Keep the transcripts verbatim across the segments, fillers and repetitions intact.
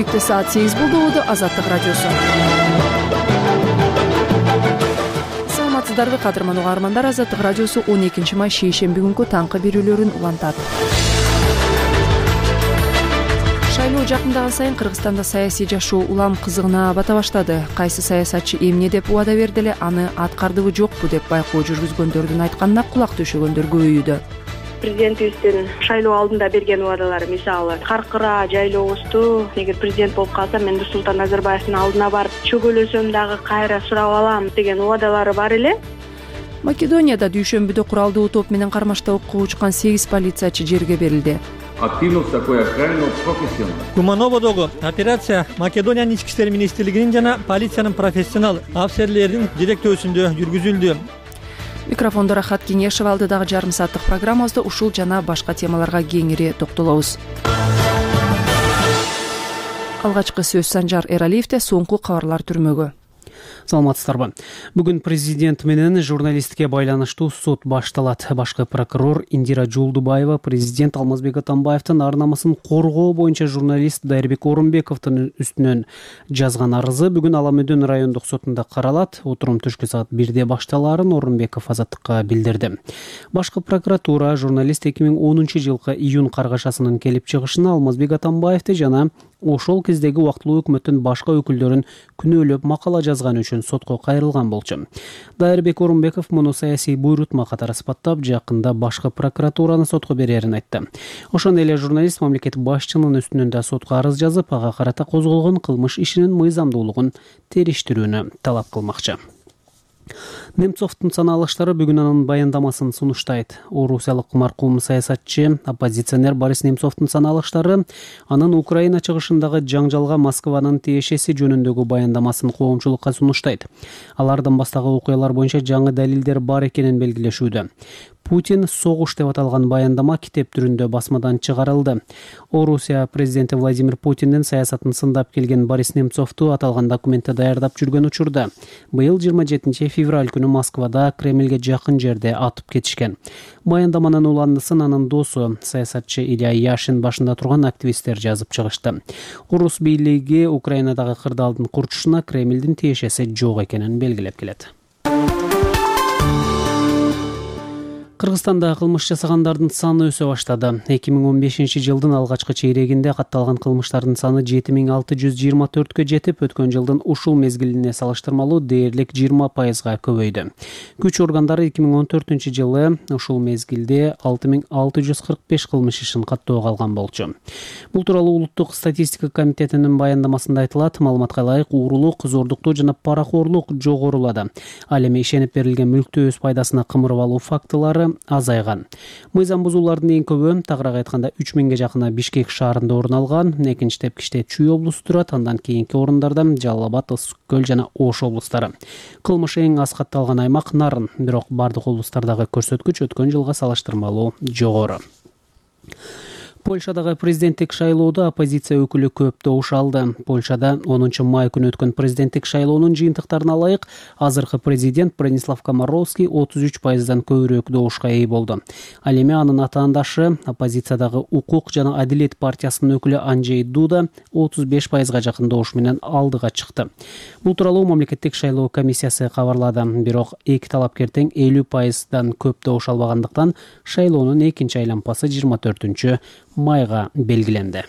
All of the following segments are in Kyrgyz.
Бишкекте саат сегиз болду. Болду Азаттык радиосу. Саламатсыздарбы кадырман угармандар. Азаттык радиосу он экинчи май шейшемби күнкү таңкы берүүлөрүн улантат. Шайлоо жакындаган сайын Кыргызстанда саясий жашоо улам кызыгына бата баштады. Кайсы саясатчы эмне деп убада берди эле, аны аткардыбы жокпу деп байкоо жүргүзгөндөрдүн айтканына кулак төшөгөндөр көбөйүүдө. Президентибиздин шайлоо алдында берген убадалары, мисалы, каркыра жайлообузду эгер президент болуп калсам, мен Нурсултан Назарбаевдин алдына барып чөгөлөсөм дагы кайра сурап алам деген убадалары бар эле. Македонияда дүйшөмбүдө куралдуу топ менен кармашта окко учкан сегиз полициячы жерге берилди. Активност такой охраны профессионал. Кумановодогу операция Македониянын ички иштер министрлигинин жана полициянын профессионал офицерлеринин директөөсүндө жүргүзүлдү. Микрофондо Рахат Кеңешев, алдыдагы жарым сааттык программабызда ушул жана башка темаларга кеңири токтолобуз. Алгачкы сөз Санжар Эралиевде, соңку кабарлар түрмөгө. Саламатсыздарбы. Бүгүн президент менен журналистке байланыштуу сот башталат. Башкы прокурор Индира Жолдубаева президент Алмазбек Атамбаевдин ар-намысын коргоо боюнча журналист Дайырбек Орунбековдун үстүнөн жазган арызы бүгүн Ала Мөдөн райондук сотунда каралат. Отурум түшкү саат бирде башталаарын Орунбеков Азаттыкка билдирди. Башкы прокуратура журналист эки миң онунчу жылкы июнь каргашасынын келип чыгышына Алмазбек Атамбаевди жана ошол кездеги убактылуу өкмөттүн башка өкүлдөрүн күнөөлөп макала жазганы үчүн сотко кайрылган болчу. Дайырбек Орунбеков муну саясий буйрутма катары сыпаттап, жакында башкы прокуратураны сотко берерин айтты. Ошондой эле журналист мамлекет башчынын үстүнөн да сотко арыз жазып, ага карата козголгон кылмыш ишинин мыйзамдуулугун териштирүүнү талап кылмакчы. Немцовдун саналыштары бүгүн анын баяндамасын сунуштайт. Орусиялык маркум саясатчы, оппозиционер Борис Немцовдун саналыштары анын Украина чыгышындагы жаңжалга Москванын тиешеси жөнүндөгү баяндамасын коомчулукка сунуштайт. Алардан баштагы окуялар боюнча жаңы далилдер бар экенин белгилешүүдө. Путин согуш деп аталган баяндама китеп түрүндө басмадан чыгарылды. Орусия президенти Владимир Путиндин саясатын сындап келген Борис Немцовду аталган документти даярдап жүргөн учурда быйыл жыйырма жетинчи февраль күнү Москвада Кремльге жакын жерде атып кетишкен. Баяндаманын уландысын анын досу саясатчы Илья Яшин башында турган активисттер жазып чыгышты. Орус бийлиги Украинадагы кырдаалдын курчушуна Кремльдин тиешеси жок экенин белгилеп келет. Кыргызстанда кылмыш жасагандардын саны өсө баштады. эки миң он бешинчи жылдын алгачкы чейрегинде катталган кылмыштардын саны жети миң алты жүз жыйырма төрткө жетип, өткөн жылдын ушул мезгилине салыштырмалуу дээрлик жыйырма пайызга көбөйдү. Күч органдары эки миң он төртүнчү жылы ушул мезгилде алты миң алты жүз кырк беш кылмыш ишин каттоого алган болчу. Бул тууралуу Улуттук статистика комитетинин баяндамасында айтылат. Маалыматка ылайык, уурулук, зордуктуу жана паракорлук жогорулады. Ал эми ишенип берилген мүлктү өз пайдасына кымырып алуу фактылары азайган. Мыйзам бузуулардын эң көбү, тагыраак айтканда үч миңге жакыны Бишкек шаарында орун алган. Экинчи тепкичте Чүй облусу турат, андан кийинки орундарда Жалал Абад, Ысык Көл жана Ош облустары. Кылмыш эң аз катталган аймак Нарын, бирок бардык облустардагы көрсөткүч өткөн жылга салыштырмалуу жогору. Польшадагы президенттик шайлоодо оппозиция өкүлү көп добуш алды. Польшада онунчу май күнү өткөн президенттик шайлоонун жыйынтыктарына ылайык, азыркы президент Бронислав Комаровский отуз үч пайыздан көбүрөөк добушка ээ болду. Ал эми анын атаандашы, оппозициядагы Укук жана Адилет партиясынын өкүлү Анджей Дуда отуз беш пайызга жакын добуш менен алдыга чыкты. Бул тууралуу мамлекеттик шайлоо комиссиясы кабарлады. Бирок эки талапкер тең элүү пайыздан көп добуш албагандыктан шайлоонун экинчи айлампасы жыйырма төртүнчү майга белгиленди.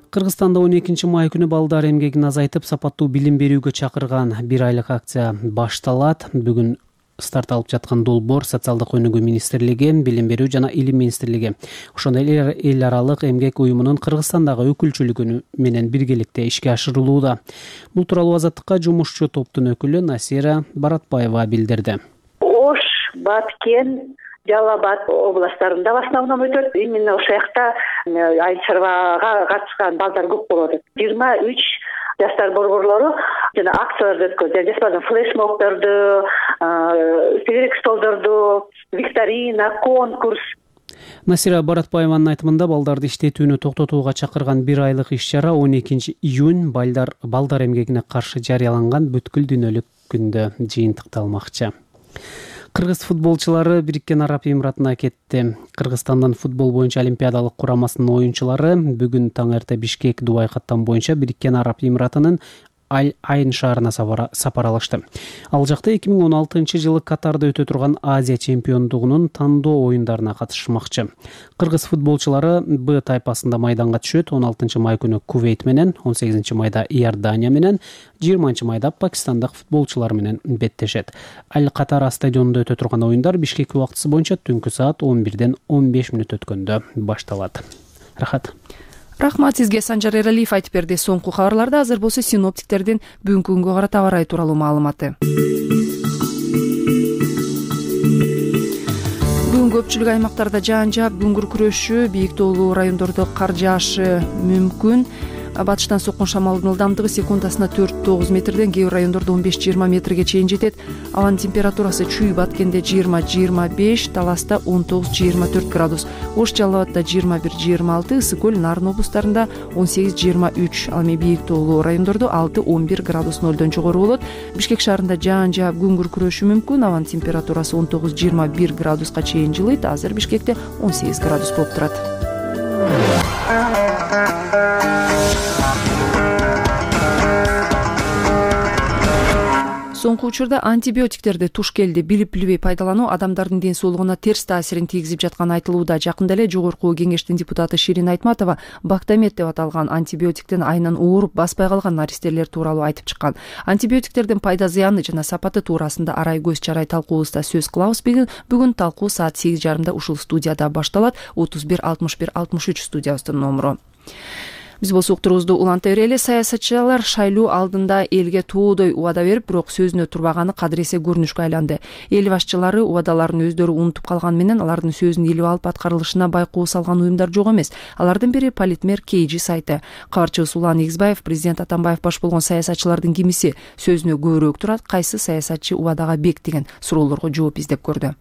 Кыргызстанда он экинчи май күнү балдар эмгегин азайтып, сапаттуу билим берүүгө чакырган бир айлык акция башталат. Бүгүн старт алып жаткан долбоор Социалдык өнүгүү министрлиги, Билим берүү жана Илим министрлиги, ошондой эле эл аралык эмгек уюмунун Кыргызстандагы өкүлчүлүгү менен биргеликте ишке ашырылууда. Бул тууралуу Азаттыкка жумушчу топтун өкүлү Насира Баратбаева билдирди. Ош, Баткен, Жалал Абад областарында в основном өтөт. Именно ошол жакта айыл чарбага катышкан балдар көп болот. жыйырма үч жаштар борборлору жана акцияларды өткөзүп, жаспардын флешмобдорду, тегерек столдорду, викторина, конкурс. Насира Баратбаеванын айтымында балдарды иштетүүнү токтотууга чакырган бир айлык иш-чара он экинчи июнь балдар балдар эмгегине каршы жарыяланган бүткүл дүйнөлүк күндө жыйынтыкталмакчы. Кыргыз футболчулары Бириккен Араб Эмиратына кетти. Кыргызстандын футбол боюнча олимпиадалык курамасынын оюнчулары бүгүн таң эрте Бишкек Дубай каттам боюнча Бириккен Араб Эмиратынын Аль-Айн шаарына сапар алышты. Ал жакта эки миң он алтынчы жылы Катарда өтө турган Азия чемпиондугунун тандоо оюндарына катышмакчы. Кыргыз футболчулары Б тайпасында майданга түшөт. он алтынчы май күнү Кувейт менен, он сегизинчи майда Иордания менен, жыйырманчы майда пакистандык футболчулар менен беттешет. Аль-Катара стадионунда өтө турган оюндар Бишкек убактысы боюнча түнкү саат он бирден он беш мүнөт өткөндө башталат. Рахат. Рахмат сизге. Санжар Эралиев айтып берди. Соңку кабарларда азыр болсо синоптиктердин бүгүнкү күнгө карата аба ырайы тууралуу маалыматы. Бүгүн көпчүлүк аймактарда жаан жаап, күн күркүрөшү, бийик тоолуу райондордо кар жаашы мүмкүн. Батыштан соккон шамалдын ылдамдыгы секундасына төрт тогуз метрден, кээ бир райондордо он беш жыйырма метрге чейин жетет. Абанын температурасы Чүй Баткенде жыйырма жыйырма беш, Таласта он тогуз жыйырма төрт градус, Ош Жалал Абадда жыйырма бир жыйырма алты, Ысык көл Нарын облустарында он сегиз жыйырма үч, ал эми бийик тоолуу райондордо алты он бир градус нолдон жогору болот. Бишкек шаарында жаан жаап, күн күркүрөшү мүмкүн. Абанын температурасы он тогуз жыйырма бир градуска чейин жылыйт. Азыр Бишкекте он сегиз градус болуп турат. Соңку учурда антибиотиктерди туш келди билип билбей пайдалануу адамдардын ден соолугуна терс таасирин тийгизип жатканы айтылууда. Жакында эле жогорку кеңештин депутаты Ширин Айтматова Бактамет деп аталган антибиотиктен айынан ооруп баспай калган наристелер тууралуу айтып чыккан. Антибиотиктердин пайда зыяны жана сапаты туурасында арай көз чарай талкуубузда сөз кылабыз. Бүгүн талкуу саат сегиз жарымда ушул студияда башталат. отуз бир алтымыш бир алтымыш үч студиябыздын номуру. Биз болсо уктуруубузду уланта берели. Саясатчылар шайлоо алдында элге тоодой убада берип, бирок сөзүнө турбаганы кадыресе көрүнүшкө айланды. Эл башчылары убадаларын өздөрү унутуп калган менен алардын сөзүн илип алып аткарылышына байкоо салган уюмдар жок эмес. Алардын бири Политмер кей жи сайты. Кабарчыбыз Улан Игизбаев президент Атамбаев баш болгон саясатчылардын кимиси сөзүнө көбүрөөк турат, кайсы саясатчы убадага бек деген суроолорго жооп издеп көрдү.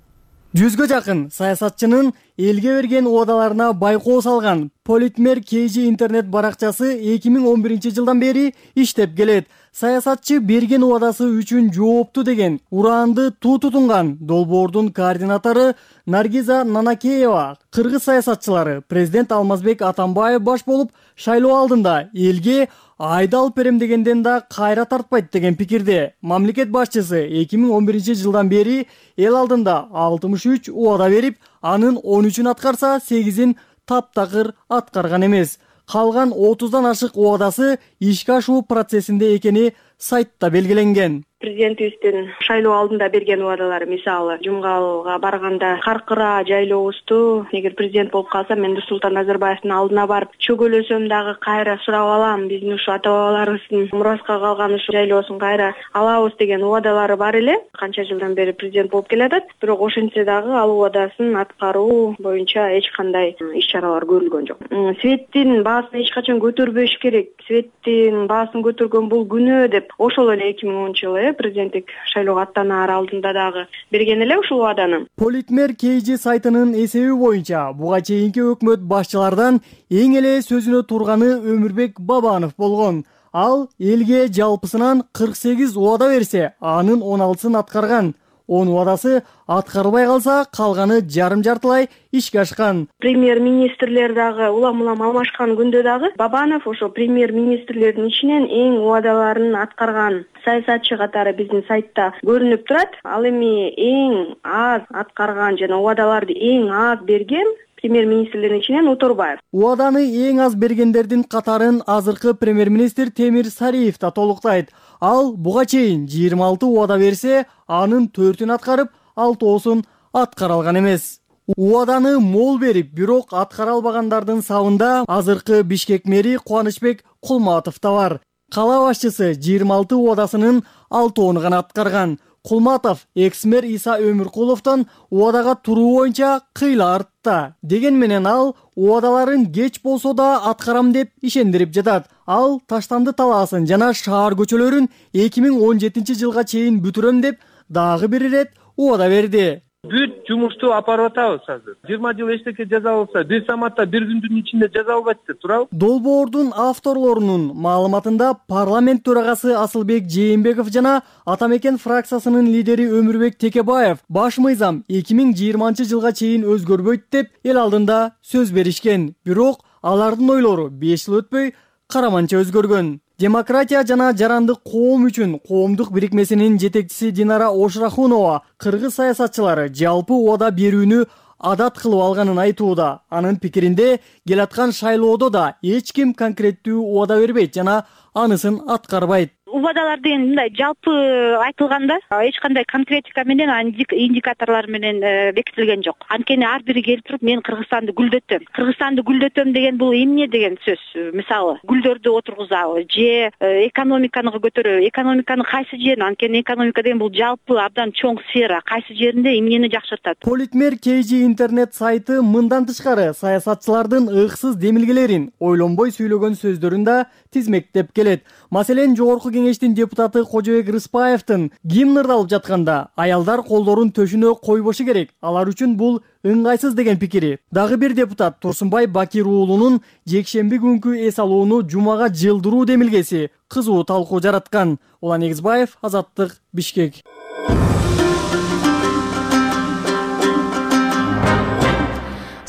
Жүзгө жакын саясатчынын элге берген убадаларына байкоо салган Политмер кей жи интернет баракчасы эки миң он биринчи жылдан бери иштеп келет. Саясатчы берген убадасы үчүн жоопту деген ураанды туу тутунган долбоордун координатору Наргиза Нанакеева кыргыз саясатчылары президент Алмазбек Атамбаев баш болуп шайлоо алдында элге айда алып берем дегенден да кайра тартпайт деген пикирде. Мамлекет башчысы эки миң он биринчи жылдан бери эл алдында алтымыш үч убада берип, анын он үчүн аткарса, сегизин таптакыр аткарган эмес. Калган отуздан ашык убадасы ишке ашуу процессинде экени сайтта белгиленген. Президентибиздин шайлоо алдында берген убадалары, мисалы Жумгалга барганда каркыра жайлообузду эгер президент болуп калсам, мен Нурсултан Назарбаевдин алдына барып чөгөлөсөм дагы кайра сурап алам, биздин ушу ата бабаларыбыздын мураска калган ушу жайлоосун кайра алабыз деген убадалары бар эле. Канча жылдан бери президент болуп келатат, бирок ошентсе дагы ал убадасын аткаруу боюнча эч кандай иш-чаралар көрүлгөн жок. Светтин баасын эч качан көтөрбөш керек, светтин баасын көтөргөн бул күнөө деп ошол эле эки миң онунчу жылы президенттик шайлоого аттанаар алдында дагы берген эле ушул убаданы. Политмер кей жи сайтынын эсеби боюнча буга чейинки өкмөт башчылардан эң эле сөзүнө турганы Өмүрбек Бабанов болгон. Ал элге жалпысынан кырк сегиз убада берсе, анын он алтысын аткарган. он убадасы аткарылбай калса, калганы жарым-жартылай ишке ашкан. Премьер-министрлер дагы улам-улам алмашкан күндө дагы Бабанов ошо премьер-министрлердин ичинен эң убадаларын аткарган саясатчы катары биздин сайтта көрүнүп турат. Ал эми эң аз аткарган жана убадаларды эң аз берген премьер-министрлердин ичинен Уторбаев. Убаданы эң аз бергендердин катарын азыркы премьер-министр Темир Сариев да толуктайт. Ал буга чейин жыйырма алты убада берсе, анын төртүн аткарып, алтоосун аткара алган эмес. Убаданы мол берип, бирок аткара албагандардын сабында азыркы Бишкек мэри Кубанычбек Кулматов да бар. Кала башчысы жыйырма алты убадасынын алтоон гана аткарган. Кулматов экс-мэр Иса Өмүркуловдон убадага туруу боюнча кыйла артта. Деген менен ал убадаларын кеч болсо да аткарам деп ишендирип жатат. Ал Таштанды талаасын жана шаар көчөлөрүн эки миң он жетинчи жылга чейин бүтүрөм деп дагы бир ирет убада берди. бүт жумушту апарып атабыз азыр. жыйырма жыл эчтеке жазалса, бир саматта бир күндүн ичинде жазалбайт деп турабы. Долбоордун авторлорунун маалыматында парламент төрагасы Асылбек Жээнбеков жана Атамекен фракциясынын лидери Өмүрбек Текебаев баш мыйзам эки миң жыйырманчы жылга чейин өзгөрбөйт деп эл алдында сөз беришкен. Бирок алардын ойлору беш жыл өтпөй караманча өзгөргөн. Демократия жана жарандык коом үчүн коомдук бирикмесинин жетекчиси Динара Ошрахунова кыргыз саясатчылары жалпы убада берүүнү адат кылып алганын айтууда. Анын пикиринде келаткан шайлоодо да эч ким конкреттүү убада бербейт жана анысын аткарбайт. Убадалар деген мындай жалпы айтылганда эч кандай конкретика менен индикаторлор менен бекитилген жок. Анткени ар бири келип туруп мен Кыргызстанды гүлдөтөм. Кыргызстанды гүлдөтөм деген бул эмне деген сөз? Мисалы, гүлдөрдү отургузабы же экономиканы көтөрөбү? Экономиканы кайсы жерин? Анткени экономика деген бул жалпы абдан чоң сфера. Кайсы жеринде эмнени жакшыртат? Политмер Кейжи интернет сайты мындан тышкары саясатчылардын ыксыз демилгелерин, ойлонбой сүйлөгөн сөздөрүн да тизмектеп келет. Маселен, жогорку кеңештин депутаты Кожобек Рыспаевдин гимн ырдалып жатканда аялдар колдорун төшүнө койбошу керек, алар үчүн бул ыңгайсыз деген пикири. Дагы бир депутат Турсунбай Бакир уулунун жекшемби күнкү эс алууну жумага жылдыруу демилгеси кызуу талкуу жараткан. Улан Эгизбаев, Азаттык, Бишкек.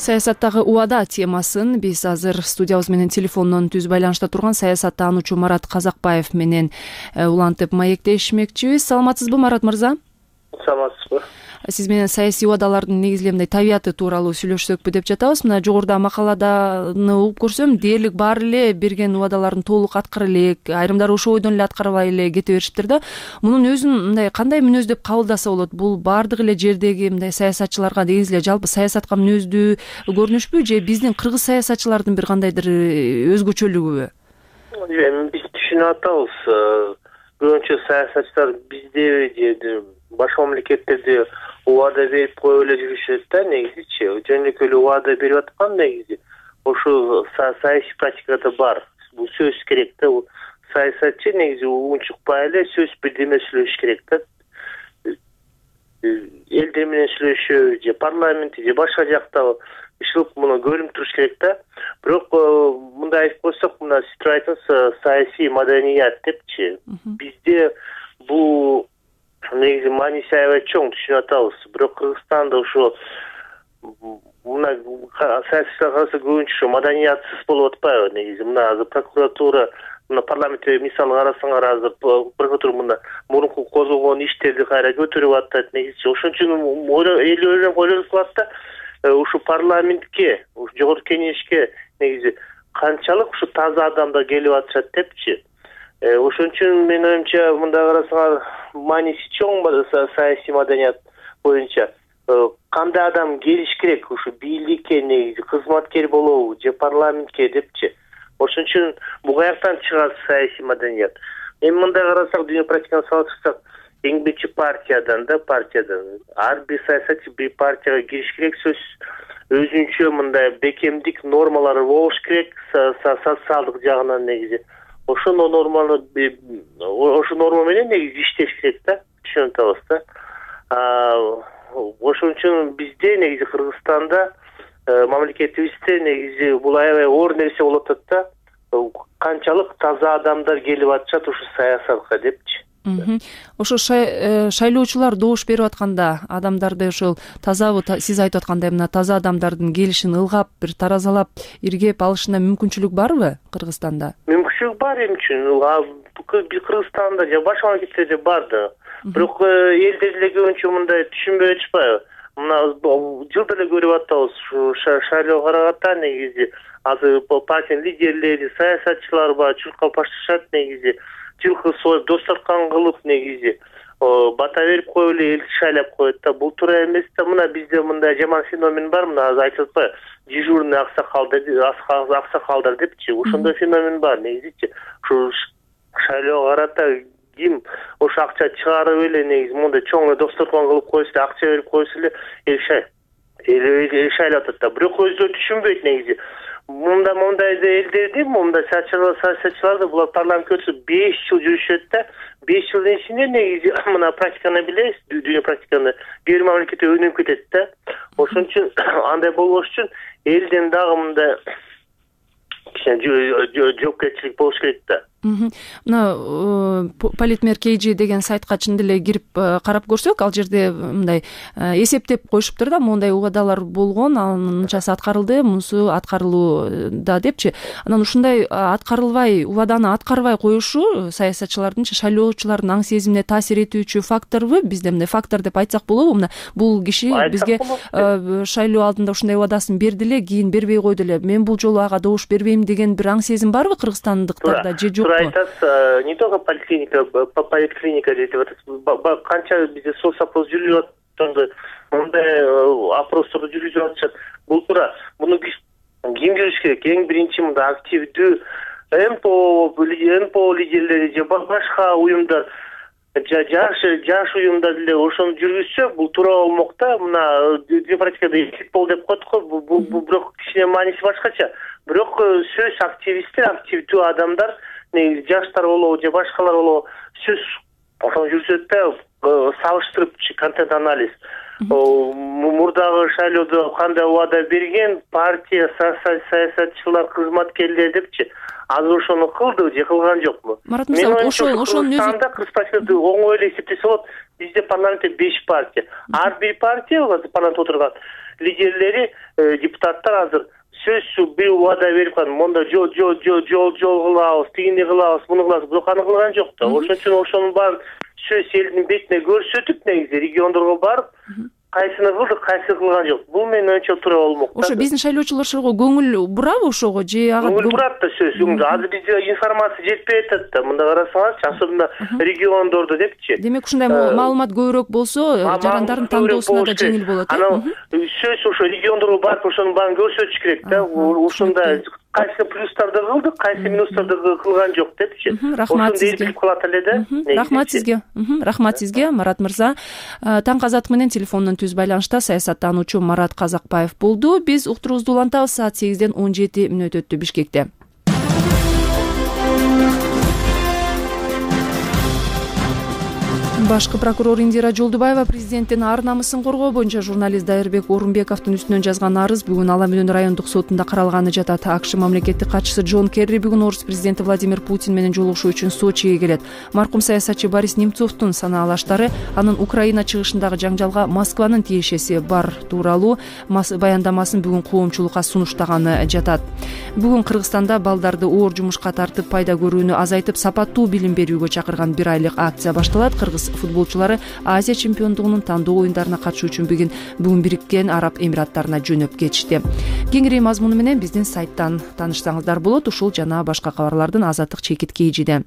Саясаттагы убада темасын биз азыр студиябыз менен телефондон түз байланышта турган саясаттануучу Марат Казакбаев менен улантып маектешмекчибиз. Саламатсызбы, Марат мырза? Саламатсызбы. Сиз менен саясий убадалардын негизлемдей табияты тууралуу сүйлөшсөкпү деп жатабыз. Мына жогоруда макаладаны угуп көрсөм, дээрлик баары эле берген убадаларын толук аткара элек, айрымдары ошол ойдон эле аткарбай эле кете беришиптир да. Мунун өзүн мындай кандай мүнөз деп кабылдаса болот? Бул баардык эле жердеги мындай саясатчыларга негизи эле жалпы саясатка мүнөздүү көрүнүшпү же биздин кыргыз саясатчылардын бир кандайдыр өзгөчөлүгүбү? Эми биз түшүнүп атабыз. Көбүнчө саясатчылар бизде же башка мамлекеттерде убада берип коюп эле жүрүшөт да, негизичи. Жөнөкөй эле убада берип аткан негизи. Ошол саясий практикада бар. Бул сөз керек да. Саясатчы негизи унчукпай эле сөз бирдеме сүйлөш керек да. Элдер менен сүйлөшүү же парламентте же башка жакта ишилип муну көрүнүп туруш керек да. Бирок мындай айтып койсок, мына сиз айтасыз саясий маданият депчи. Бизде бул негизи мааниси аябай чоң, түшүнүп атабыз. Бирок Кыргызстанда ошо мына саясатчылар караса көбүнчө маданиятсыз болуп атпайбы негизи. Мына азыр прокуратура, мына парламентте мисалы карасаңар, азыр прокуратура мына мурунку козголгон иштерди кайра көтөрүп атат негизи. Ошон үчүн эл ойлонуп ойлонуп калат да, ушу парламентке, ушу жогорку кеңешке негизи канчалык ушу таза адамдар келип атышат депчи. Ошон үчүн менин оюмча мындай карасаңар мааниси чоң саясий маданият боюнча. Кандай адам келиш керек ушу бийликке негизи, кызматкер болобу же парламентке депчи. Ошон үчүн бул каяктан чыгат саясий маданият? Эми мындай карасак, дүйнө практиканы салыштырсак, эмгичи партиядан да, партиядан ар бир саясатчы бир партияга кириш керек, сөз өзүнчө мындай бекемдик нормалары болуш керек, социалдык жагынан негизи. Ошо норманы ошо норма менен негизи иштеш керек да, түшүнүп атабыз да. Ошон үчүн бизде негизи Кыргызстанда мамлекетибизде негизи бул аябай оор нерсе болуп атат да. Канчалык таза адамдар келип атышат ушу саясатка депчи. Ошо шайлоочулар добуш берип атканда адамдарды ошол тазабы, сиз айтып аткандай мына таза адамдардын келишин ылгап, бир таразалап, иргеп алышына мүмкүнчүлүк барбы Кыргызстанда? Мүмкүнчүлүк бар эми үчүн. Кыргызстанда же башка мамлекеттерде бар да. Бирок элдер эле көбүнчө мындай түшүнбөй атышпайбы? Мына жылда эле көрүп атабыз, ушу шайлоо караганда негизи азыр партиянын лидерлери, саясатчылар бар, чуркап башташат негизи. Жылкы союп, досторкан кылып негизи бата берип коюп эле элди шайлап коет да. Бул туура эмес да. Мына бизде мындай жаман феномен бар, мына азыр айтып атпайбы, дежурный аксакалдар, аксакалдар депчи. Ошондой феномен бар негизичи. Ушу шайлоого карата ким ошо акча чыгарып эле негизи мондай чоң досторкон кылып койсо, акча берип койсо эле эл шайлап атат да. Бирок өзүлөрү түшүнбөйт негизи. мындай мындай элдерди мындай саясатчыларды булар парламентке өтсө беш жыл жүрүшөт да, беш жылдын ичинде негизи мына практиканы билебиз, дүйнө практиканы бир мамлекетте өнүгүп кетет да. Ошон үчүн андай болбош үчүн элден дагы мындай кичине жоопкерчилик болуш керек да. Мына политмер kg деген сайтка чын деле кирип карап көрсөк, ал жерде мындай эсептеп коюшуптур да, моундай убадалар болгон, анынчасы аткарылды, мунусу аткарылууда депчи. Анан ушундай аткарылбай, убаданы аткарбай коюшу саясатчылардын, шайлоочулардын аң сезимине таасир этүүчү факторбу? Бизде мындай фактор деп айтсак болобу? Мына бул киши бизге шайлоо алдында ушундай убадасын берди эле, кийин бербей койду эле. Мен бул жолу ага добуш бербейм деген бир аң сезим барбы кыргызстандыктарда же жок? Айтасыз, не только поликлиника, поликлиника дейт атасыз. Канча бизде соцопрос жүрүп жатат, мындай опросторду жүргүзүп атышат. Бул туура. Муну ким жүрүш керек? Эң биринчи мындай активдүү МПО, МПО лидерлери же башка уюмдар, жаш жаш уюмдар деле ошону жүргүзсө, бул туура болмок да. Мына демократикада эсеп бол деп коет го. Бул бирок кичине мааниси башкача. Бирок сөз активисттер, активдүү адамдар, негизи жаштар болобу же башкалар болобу, сөз ошону жүргүзөт да, салыштырып контент анализ. Мурдагы шайлоодо кандай убада берген партия, саясатчылар, кызматкерлер депчи, азыр ошону кылдыбы же кылган жокпу? Марат мырза, ошол ошонун өзү кыргыз партиясы оңой эле эсептесе болот. Бизде парламентте беш партия. Ар бир партия парламентте отурган лидерлери, депутаттар азыр сөзсүз бир убада берип калган, монда жол жол жол жол жол кылабыз, тигини кылабыз, муну кылабыз, бирок аны кылган жок да. Ошон үчүн ошонун баарын сөз элдин бетине көрсөтүп, негизи региондорго барып, кайсыны кылдык, кайсыны кылган жок. Бул менин оюмча туура болмок да. Ошо биздин шайлоочулар ошого көңүл бурабы ошого же ага көңүл бурат да сөз. Азыр бизде информация жетпей атат да. Мында карасаңыз, особенно региондордо депчи. Демек ушундай маалымат көбүрөөк болсо, жарандардын тандоосуна да жеңил болот. Анан сөз ошо региондорго барып ошонун баарын көрсөтүш керек да. Ушундай кайсы плюстарды кылдык, кайсы минустарды кылган жок депчи. Рахмат сизге. Кылат эле да. Рахмат сизге. Рахмат сизге, Марат мырза. Таң казак менен телефондон түз байланышта саясаттануучу Марат Казакбаев болду. Биз уктуруубузду улантабыз. Саат сегизден он жети мүнөт өттү Бишкекте. Башкы прокурор Индира Жолдубаева президенттин ар намысын коргоо боюнча журналист Дайырбек Орунбековдун үстүнөн жазган арыз бүгүн Ала Мөөнүн райондук сотунда каралганы жатат. АКШ мамлекеттик катчысы Джон Керри бүгүн орус президенти Владимир Путин менен жолугушуу үчүн Сочиге келет. Маркум саясатчы Борис Немцовдун санаалаштары анын Украина чыгышындагы жаңжалга Москванын тиешеси бар тууралуу баяндамасын бүгүн коомчулукка сунуштаганы жатат. Бүгүн Кыргызстанда балдарды оор жумушка тартып пайда көрүүнү азайтып, сапаттуу билим берүүгө чакырган бир айлык акция башталат. Кыргыз футболчулары Азия чемпиондугунун тандоо оюндарына катышуу үчүн бүгүн бүгүн Бириккен Араб Эмираттарына жөнөп кетишти. Кеңири мазмуну менен биздин сайттан таанышсаңыздар болот. Ушул жана башка кабарлардын азаттык чекит kg'de.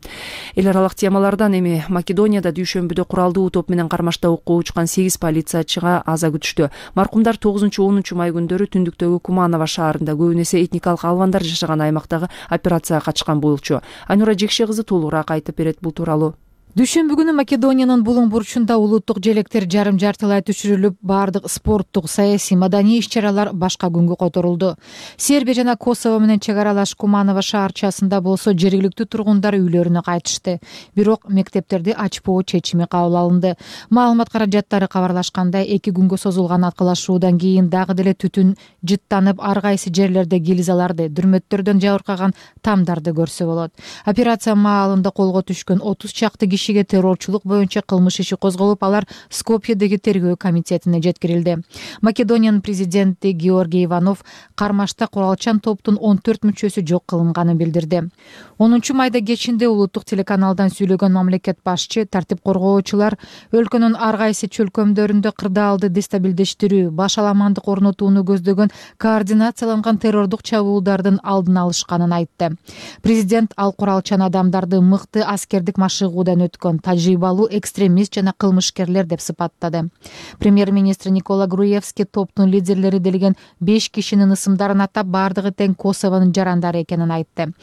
Эл аралык темалардан эми Македонияда дүйшөмбүдө куралдуу топ менен кармашта окко учкан сегиз полициячыга аза күтүштү. Маркумдар тогузунчу онунчу май күндөрү түндүктөгү Куманово шаарында көбүн эсе этникалык албандар жашаган аймактагы операцияга катышкан болчу. Айнура Жекше кызы толугураак айтып берет бул тууралуу. Дүйшөмбү күнү Македониянын булуң бурчунда улуттук желектер жарым жартылай түшүрүлүп, баардык спорттук, саясий, маданий иш-чаралар башка күнгө которулду. Сербия жана Косово менен чек аралаш Куманово шаарчасында болсо жергиликтүү тургундар үйлөрүнө кайтышты. Бирок мектептерди ачпоо чечими кабыл алынды. Маалымат каражаттары кабарлашкандай, эки күнгө созулган аткылашуудан кийин дагы деле түтүн жыттанып, ар кайсы жерлерде гильзаларды, дүрмөттөрдөн жабыркаган тамдарды көрсө болот. Операция маалында колго түшкөн отуз чакты кишиге террорчулук боюнча кылмыш иши козголуп, алар Скопьедеги тергөө комитетине жеткирилди. Македониянын президенти Георгий Иванов кармашта куралчан топтун он төрт мүчөсү жок кылынганын билдирди. онунчу майда кечинде улуттук телеканалдан сүйлөгөн мамлекет башчы тартип коргоочулар өлкөнүн ар кайсы чөлкөмдөрүндө кырдаалды дестабилдештирүү, башаламандык орнотууну көздөгөн координацияланган террордук чабуулдардын алдын алышканын айтты. Президент ал куралчан адамдарды мыкты аскердик машыгуудан өткөн тажрыйбалуу экстремист жана кылмышкерлер деп сыпаттады. Премьер-министр Никола Груевский топтун лидерлери делген беш кишинин ысымдарын атап, бардыгы тең Косовонун жарандары экенин айтты.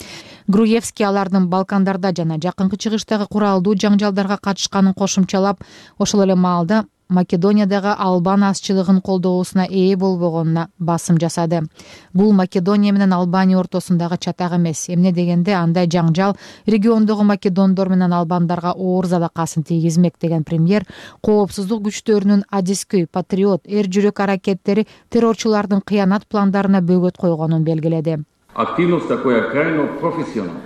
Груевский алардын Балкандарда жана жакынкы чыгыштагы куралдуу жаңжалдарга катышканын кошумчалап, ошол эле маалда Македониядагы Албан азчылыгын колдоосуна ээ болбогонуна басым жасады. Бул Македония менен Албания ортосундагы чатак эмес. Эмне дегенде андай жаңжал региондогу македондор менен албандарга оор залакасын тийгизмек деген премьер коопсуздук күчтөрүнүн адискөй, патриот, эр жүрөк аракеттери террорчулардын кыянат пландарына бөгөт койгонун белгиледи. Активноста која крајно професионална.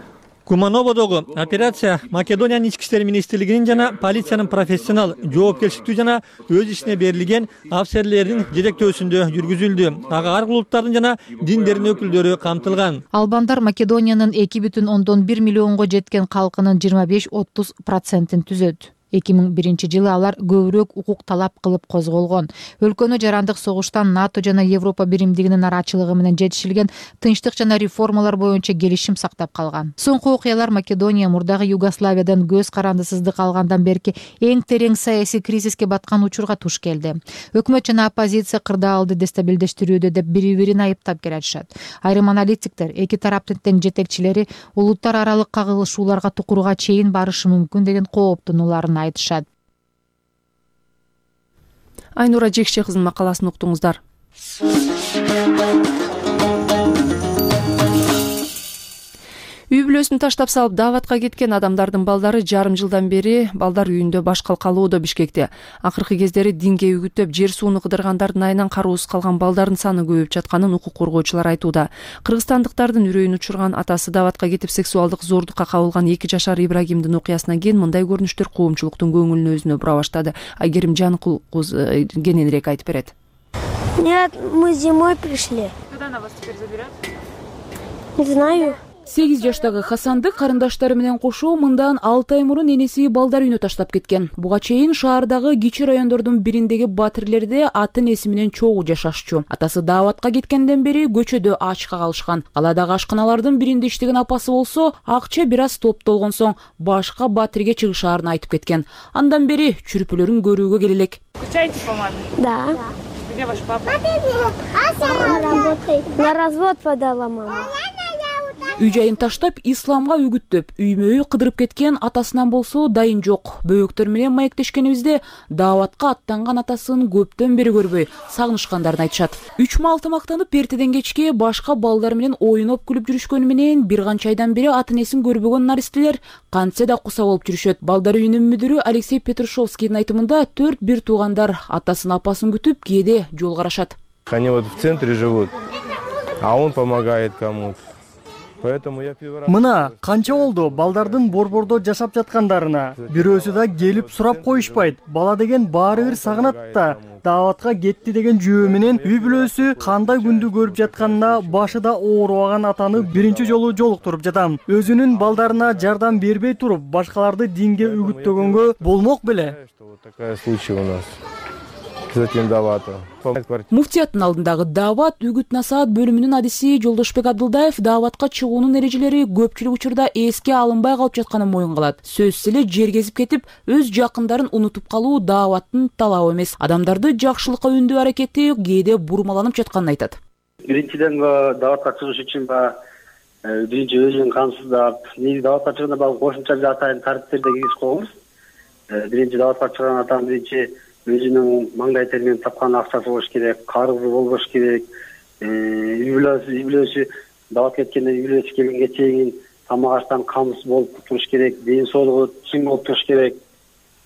Кумановодогу операция Македониянын ички иштер министрлигинин жана полициянын профессионал, жоопкерчиликтүү жана өз ишине берилген офицерлердин жетектөөсүндө жүргүзүлдү. Ага ар улуттардын жана диндердин өкүлдөрү камтылган. Албандар Македониянын эки бүтүн ондон бир миллионго жеткен калкынын жыйырма беш отуз процентин түзөт. эки миң биринчи жылы алар көбүрөөк укук талап кылып козголгон. Өлкөнү жарандык согуштан НАТО жана Европа биримдигинин арачылыгы менен жетишилген тынчтык жана реформалар боюнча келишим сактап калган. Соңку окуялар Македония мурдагы Югославиядан көз карандысыздык алгандан берки эң терең саясий кризиске баткан учурга туш келди. Өкмөт жана оппозиция кырдаалды дестабилдештирүүдө деп бири-бирин айыптап келатышат. Айрым аналитиктер эки тараптын тең жетекчилери улуттар аралык кагылышууларга тукурга чейин барышы мүмкүн деген кооптонууларын айтышат. Айнура Жекше кызынын макаласын уктуңуздар. Үй бүлөсүн таштап салып дааватка кеткен адамдардын балдары жарым жылдан бери балдар үйүндө башкал калууда Бишкекте. Акыркы кездери динге үгүттөп жер сууну кыдыргандардын айынан кароосуз калган балдардын саны көбөйүп жатканын укук коргоочулар айтууда. Кыргызстандыктардын үрөйүн учурган атасы дааватка кетип сексуалдык зордукка кабылган эки жашар Ибрагимдин окуясынан кийин мындай көрүнүштөр коомчулуктун көңүлүн өзүнө бура баштады. Айгерим Жаныкул кененирээк айтып берет. Нет, мы зимой пришли. Куда она вас теперь заберет? Не знаю. сегиз жаштагы Хасанды карындаштары менен кошо мындан алты ай мурун энеси балдар үйүнө таштап кеткен. Буга чейин шаардагы кичи райондордун бириндеги батирлерде аты энеси менен чогуу жашашчу. Атасы дааватка кеткенден бери көчөдө ачка калышкан. Каладагы ашканалардын биринде иштеген апасы болсо, акча бир аз топтолгон соң башка батирге чыгышаарын айтып кеткен. Андан бери чүрпүлөрүн көрүүгө келе элек. Скучаете по маме? Да. Где ваш папа? Он работает. На развод подала мама. Үй жайын таштап, исламга үгүттөп, үймө-үй кыдырып кеткен атасынан болсо дайын жок. Бөөктөр менен маектешкенибизде дааватка аттанган атасын көптөн бери көрбөй, сагынышкандарын айтышат. Үч мал тамактанып, эртеден кечке башка балдар менен оюноп күлүп жүрүшкөнү менен бир канча айдан бери ата энесин көрбөгөн наристелер кантсе да куса болуп жүрүшөт. Балдар үйүнүн мүдүрү Алексей Петрушевскийдин айтымында төрт бир туугандар атасын апасын күтүп кээде жол карашат. Они вот в центре живут, а он помогает кому-то. Мына канча болду балдардын борбордо жашап жаткандарына. Бирөөсү да келип сурап коюшпайт. Бала деген баары бир сагынат да. Дааватка кетти деген жөө менен үй бүлөсү кандай күндү көрүп жатканына башыда оорубаган атаны биринчи жолу жолуктуруп жатам. Өзүнүн балдарына жардам бербей туруп, башкаларды динге үгүттөгөнгө болмок беле. Такой случай у нас. Затем Давата. Муфтияттын алдындагы даават үгүт насаат бөлүмүнүн адиси Жолдошбек Абдылдаев дааватка чыгуунун эрежелери көпчүлүк учурда эске алынбай калып жатканын моюн кылат. Сөзсүз эле жер кезип кетип, өз жакындарын унутуп калуу дааваттын талабы эмес. Адамдарды жакшылыкка үндөө аракети кээде бурмаланып жатканын айтат. Биринчиден дааватка чыгыш үчүн ба биринчи өзүн камсыздап, негизи дааватка чыгганда баягы кошумча бир атайын тартиптерди киргизип койгонбуз. Биринчи дааватка чыган атам биринчи өзүнүн маңдай теринен тапкан акчасы болуш керек, карызы болбош керек. Үй бүлөсү даават кеткенде үй бүлөсү келгенге чейин тамак аштан камсыз болуп туруш керек, ден соолугу чың болуп туруш керек.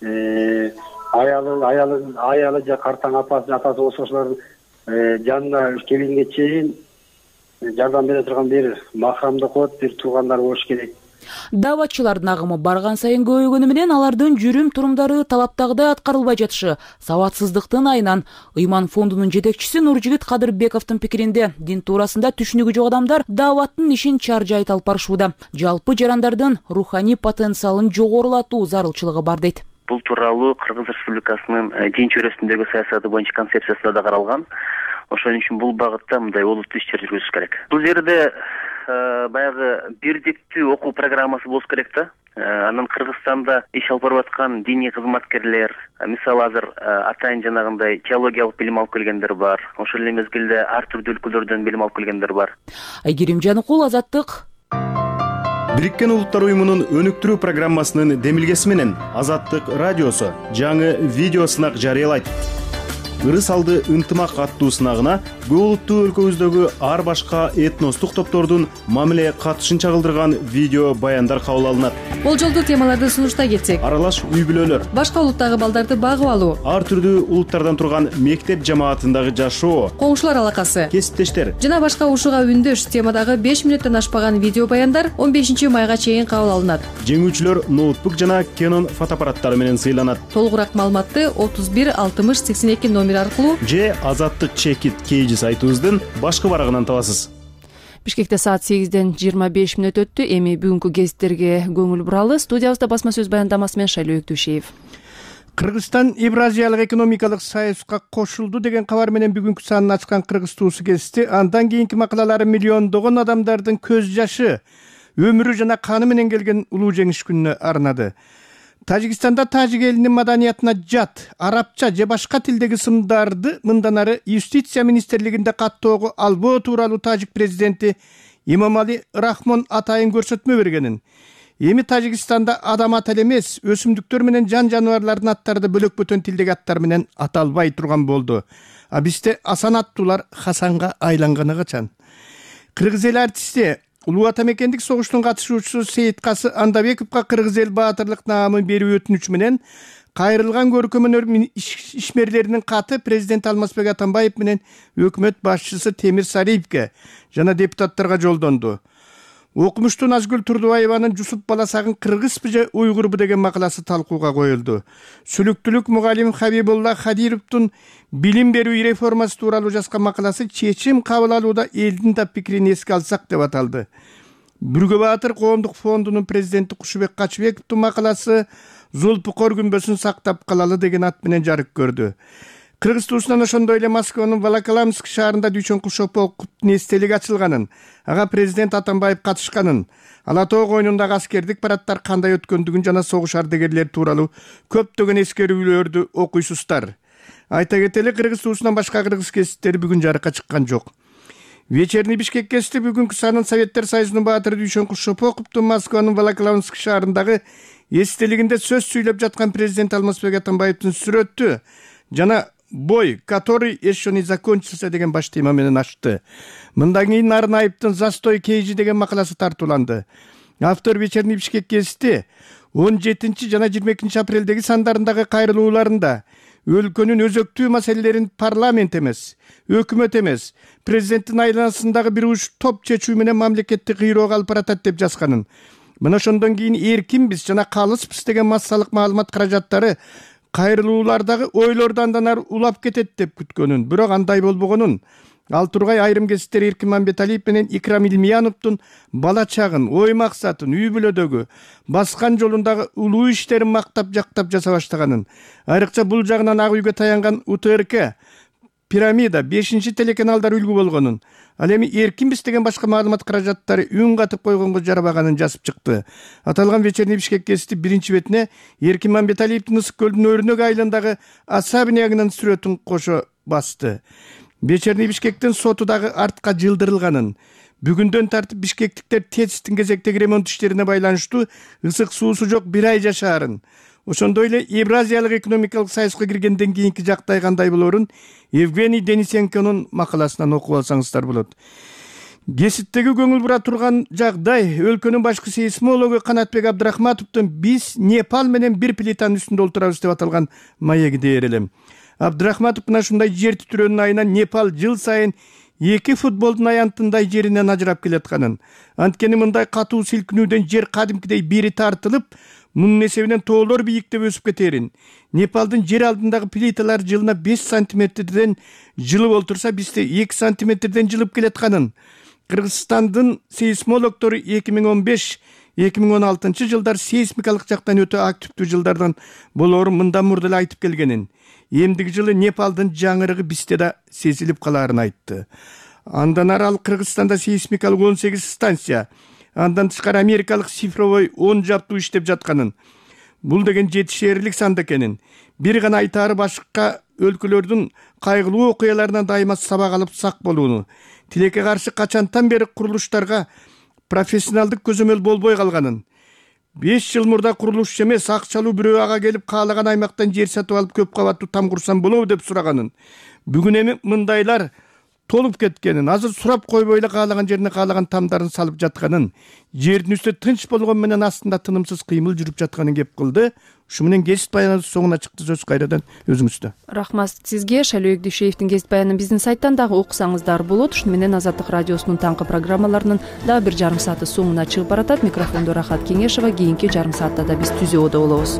Аялы, аялы, аялы же картаң апасы, атасы болсо ошолордун жанына келгенге чейин жардам бере турган бир макрамдык кот, бир туугандар болуш керек. Дааватчылардын агымы барган сайын көбөйгөнү менен алардын жүрүм турумдары талаптагыдай аткарылбай жатышы сабатсыздыктын айынан. Ыйман фондунун жетекчиси Нуржигит Кадырбековдун пикиринде дин туурасында түшүнүгү жок адамдар дааваттын ишин чаржайт алып барышууда. Жалпы жарандардын руханий потенциалын жогорулатуу зарылчылыгы бар дейт. Бул тууралуу Кыргыз Республикасынын дин чөйрөсүндөгү саясаты боюнча концепциясында да каралган. Ошон үчүн бул багытта мындай олуттуу ишчер жүргүзүш керек. Бул жерде баягы бирдиктүү окуу программасы болуш керек да. Анан Кыргызстанда иш алып барып аткан диний кызматкерлер, мисалы азыр атайын жанагындай теологиялык билим алып келгендер бар. Ошол эле мезгилде ар түрдүү өлкөлөрдөн билим алып келгендер бар. Айгерим Жаныкул, Азаттык. Бириккен Улуттар уюмунун өнүктүрүү программасынын демилгеси менен Азаттык радиосу жаңы видео сынак жарыялайт. Ырыс алды ынтымак аттуу сынагына көп улуттуу өлкөбүздөгү ар башка этностук топтордун мамиле катышын чагылдырган видео баяндар кабыл алынат. Болжолдуу темаларды сунуштай кетсек: аралаш үй бүлөлөр, башка улуттагы балдарды багып алуу, ар түрдүү улуттардан турган мектеп жамаатындагы жашоо, коңшулар алакасы, кесиптештер жана башка ушуга үндөш темадагы беш мүнөттөн ашпаган видео баяндар он бешинчи майга чейин кабыл алынат. Жеңүүчүлөр ноутбук жана Canon фотоаппараттары менен сыйланат. Толугураак маалыматты отуз бир алтымыш сексен эки номер аркылуу же Азаттык чекит кейжи сайтыбыздын башкы барагынан табасыз. Бишкекте саат сегизден жыйырма беш мүнөт өттү. Эми бүгүнкү гезиттерге көңүл буралы. Студиябызда басма сөз баяндамасы менен Шайлоо Өктүшеев. Кыргызстан Евразиялык экономикалык союзга кошулду деген кабар менен бүгүнкү санын ачкан Кыргыз туусу кести. Андан кийинки макалалары миллиондогон адамдардын көз жашы, өмүрү жана каны менен келген улуу жеңиш күнүнө арнады. Тажикстанда тажик элинин маданиятына жат, арабча же башка тилдеги сымдарды мындан ары юстиция министрлигинде каттоого албоо тууралуу тажик президенти Имамали Рахмон атайын көрсөтмө бергенин, эми Тажикстанда адам аты эле эмес, өсүмдүктөр менен жан жаныбарлардын аттары да бөлөк бөтөн тилдеги аттар менен аталбай турган болду. А бизде Асан аттуулар Хасанга айланганы качан? Кыргыз эл артисти Улуу ата мекендик согуштун катышуучусу Сейиткасы Андабековго кыргыз эл баатырлык наамын берүү өтүнүч менен кайрылган көркөм өнөр ишмерлеринин каты президент Алмазбек Атамбаев менен өкмөт башчысы Темир Сариевге жана депутаттарга жолдонду. Окумуштуу Назгүл Турдубаеванын Жусуп баласагын кыргызбы же уйгурбу деген макаласы талкууга коюлду. Сүлүктүүлүк мугалим Хабибулла Хадировдун билим берүү реформасы тууралуу жазган макаласы чечим кабыл алууда элдин да пикирин эске алсак деп аталды. Бүргө Баатыр коомдук фондунун президенти Кушубек Качыбековдун макаласы Зулпукор күмбөсүн сактап калалы деген ат менен жарык көрдү. Кыргыз туусунан ошондой эле Москванын Волоколамск шаарында Дүйшөн Кулшов полкунун эстелиги ачылганын, ага президент Атамбаев катышканын, Ала тоо коюнундагы аскердик параддар кандай өткөндүгүн жана согуш ардагерлери тууралуу көптөгөн эскерүүлөрдү окуйсуздар. Айта кетели, Кыргыз туусунан башка кыргыз кесиптери бүгүн жарыкка чыккан жок. Вечерний Бишкек кести бүгүнкү санын Советтер Союзунун баатыры Дүйшөн Кулшоповдун Москванын Волоколамск шаарындагы эстелигинде сөз сүйлөп жаткан президент Алмазбек Атамбаевдин сүрөтү жана бой, который еще не закончился деген баш тема менен ачты. Мындан кийин Нарнаевдин Застой кейжи деген макаласы тартууланды. Автор Вечерний Бишкек кести он жетинчи жана жыйырма экинчи апрелдеги сандарындагы кайрылууларында өлкөнүн өзөктүү маселелерин парламент эмес, өкмөт эмес, президенттин айланасындагы бир уч топ чечүү менен мамлекетти кыйроого алып баратат деп жазганын. Мына ошондон кийин эркинбиз жана калыспыз деген массалык маалымат каражаттары кайрылуулардагы ойлорду андан ары улап кетет деп күткөнүн, бирок андай болбогонун. Ал тургай айрым кесиптер Эркин Мамбеталиев менен Икрам Илмияновдун бала чагын, ой максатын, үй бүлөдөгү баскан жолундагы улуу иштерин мактап жактап жаса баштаганын. Айрыкча бул жагынан Ак үйгө таянган У Т Р К, Пирамида, бешинчи телеканалдар үлгү болгонун, ал эми эркинбиз деген башка маалымат каражаттары үн катып койгонго жарабаганын жазып чыкты. Аталган Вечерний Бишкек кести биринчи бетине Эркин Мамбеталиевдин Ысык көлдүн өрүнөк айылындагы особнягынын сүрөтүн кошо басты. Вечерний Бишкектин соту дагы артка жылдырылганын, бүгүндөн тартып бишкектиктер ТЭЦтин кезектеги ремонт иштерине байланыштуу ысык суусу жок бир ай жашаарын, ошондой эле Евразиялык экономикалык союзга киргенден кийинки жактай кандай болорун Евгений Денисенконун макаласынан окуп алсаңыздар болот. Геситтеги көңүл бура турган жагдай өлкөнүн башкы сейсмологу Канатбек Абдрахматовдун «Биз Непал менен бир плитанын үстүндө отурабыз» деп аталган маегиде ээрелем. Абдрахматов мына ушундай жер титирөөнүн айынан Непал жыл сайын эки футболдун аянтындай жеринен ажырап келатканын, анткени мындай катуу силкинүүдөн жер кадимкидей бери тартылып, мунун эсебинен тоолор бийиктеп өсүп кетерин. Непалдын жер алдындагы плиталар жылына беш сантиметрден жылып олтурса, бизде эки сантиметрден жылып келатканын. Кыргызстандын сейсмологдору эки миң он беш эки миң он алтынчы жылдар сейсмикалык жактан өтө активдүү жылдардан болоорун мындан мурда эле айтып келгенин. Эмдиги жылы Непалдын жаңырыгы бизде да сезилип калаарын айтты. Андан ары ал Кыргызстанда сейсмикалык он сегиз станция, андан тышкары америкалык цифровой он жаптуу иштеп жатканын. Бул деген жетишээрлик сан экенин. Бир гана айтаары башка өлкөлөрдүн кайгылуу окуяларынан дайыма сабак алып сак болууну. Тилекке каршы качантан бери курулуштарга профессионалдык көзөмөл болбой калганын, беш жыл мурда курулушчу эмес акчалуу бирөө ага келип каалаган аймактан жер сатып алып көп кабаттуу там курсам болобу деп сураганын, бүгүн эми мындайлар толуп кеткенин, азыр сурап койбой эле каалаган жерине каалаган тамдарын салып жатканын, жердин үстү тынч болгон менен астында тынымсыз кыймыл жүрүп жатканын кеп кылды. Ушу менен кесип баяныбыз соңуна чыкты. Сөз кайрадан өзүңүздө. Рахмат сизге. Шайлоо Дүйшеевдин кесип баянын биздин сайттан дагы окусаңыздар болот. Ушуну менен Азаттык радиосунун таңкы программаларынын дагы бир жарым сааты соңуна чыгып баратат. Микрофондо Рахат Кеңешова. Кийинки жарым саатта да биз түзөөдө болобуз.